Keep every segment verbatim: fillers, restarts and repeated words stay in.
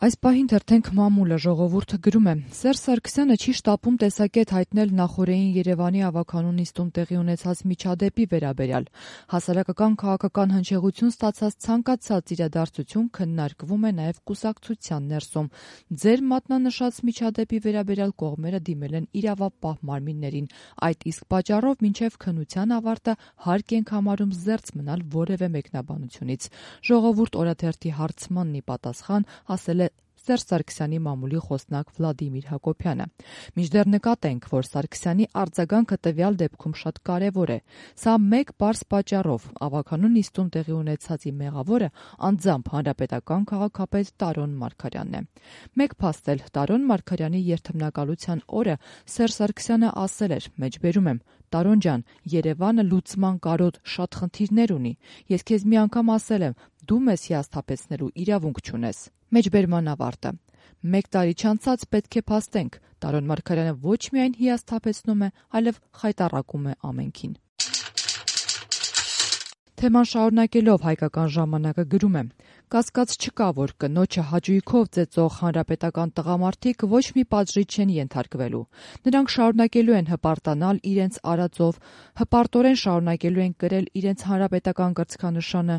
Այս պահին թերթենք մամուլը ժողովուրդը գրում է. Սերժ Սարգսյանը չի շտապում տեսակետ հայտնել նախօրեին Երևանի ավագանու նիստում տեղի ունեցած միջադեպի վերաբերյալ։ Հասարակական քաղաքական հնչեղություն ստացած ցանկացած իրադարձություն քննարկվում է նաև կուսակցության ներսում։ Ձեր մատնանշած միջադեպի վերաբերյալ կողմերը դիմել են իրավապահ մարմիններին։ Այդ իսկ պատճառով մինչև քննության ավարտը հարկ ենք համարում զերծ մնալ որևէ մեկնաբանությունից։ Ժողովուրդ օրաթերթի հարցմանն ի պատասխան ասել է Սերժ Սարգսյանի մամուլի խոսնակ Վլադիմիր Հակոբյանը։ Մինչդեռ նկատենք, որ Սարգսյանի արձագանքը տվյալ դեպքում շատ կարևոր է։ Սա մեկ պարզ պատճառով ավագանու նիստում տեղի ունեցածի մեղավորը անձամբ հանրապետական քաղաքապետ Տարոն Մարգարյանն է։ Մեկ փաստ էլ Տարոն Մարգարյանի երդմնակալության օրը Սերժ Սարգսյանը ասել էր. մեջբերում եմ, Տարոն ջան, Երևանը լուծման կարոտ շատ խնդիրներ ունի։ Ես քեզ մի անգամ ասել եմ, դու մեզ հիասթափեցնելու իրավունք չունես։ Մեջբերման ավարտը։ Մեկ տարի չանցած պետք է փաստենք, Տարոն Մարգարյանը ոչ միայն հիասթափեցնում է, այլև խայտառակում է ամենքին։ Թեման շարունակելով հայկական ժամանակը գրում է. Կասկած չկա, որ կնոջը հաճույքով ծեծող հանրապետական տղամարդիկ ոչ մի պատժի չեն ենթարկվելու։ Նրանք շարունակելու են հպարտանալ իրենց արածով, հպարտորեն շարունակելու են կրել իրենց հանրապետական կրծքանշանը,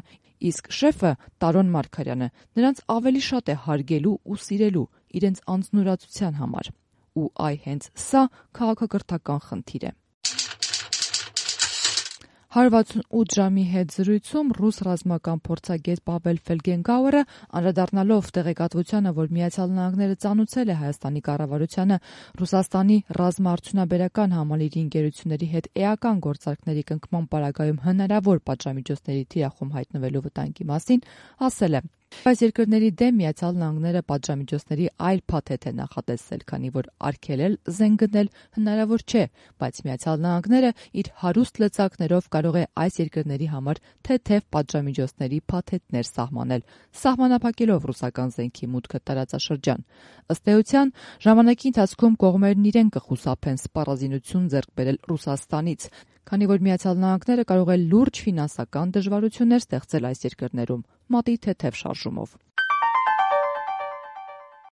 իսկ շեֆը Տարոն Մարգարյանը նրանց ավելի շատ է հարգելու ու սիրելու իրենց անձնուրացության համար։ Ու այ հենց սա քաղաքակրթական խնդիր է։ հարյուր վաթսունութ ժամի հետ զրույցում ռուս ռազմական փորձագետ Պավել Ֆելգենգաուերը, անդրադառնալով տեղեկատվությանը, որ Միացյալ Նահանգները ծանուցել է Հայաստանի կառավարությանը Ռուսաստանի ռազմաարդյունաբերական համալիրի ընկերությունների հետ էական գործարքների կնքման պարագայում հնարավոր պատժամիջոցների թիրախում հայտնվելու վտանգի մասին, ասել է. Այս երկրների դեմ Միացյալ Նահանգները պատժամիջոցների այլ փաթեթ է նախատեսել, քանի որ արգելել զենք գնել հնարավոր չէ, բայց Միացյալ Նահանգները իր հարուստ լծակներով կարող է այս երկրների համար թեթև պատժամիջոցների փաթեթներ սահմանել, սահմանափակելով ռուսական զենքի մուտքը տարածաշրջան։ Ըստ էության, ժամանակի ընթացքում կողմերն իրեն կխուսափեն սպառազինություն ձեռք բերել Ռուսաստանից, քանի որ Միացյալ Նահանգները կարող է լուրջ ֆինանսական դժվարություններ ստեղծել այս երկրներում՝ մատի թեթև շարժումով։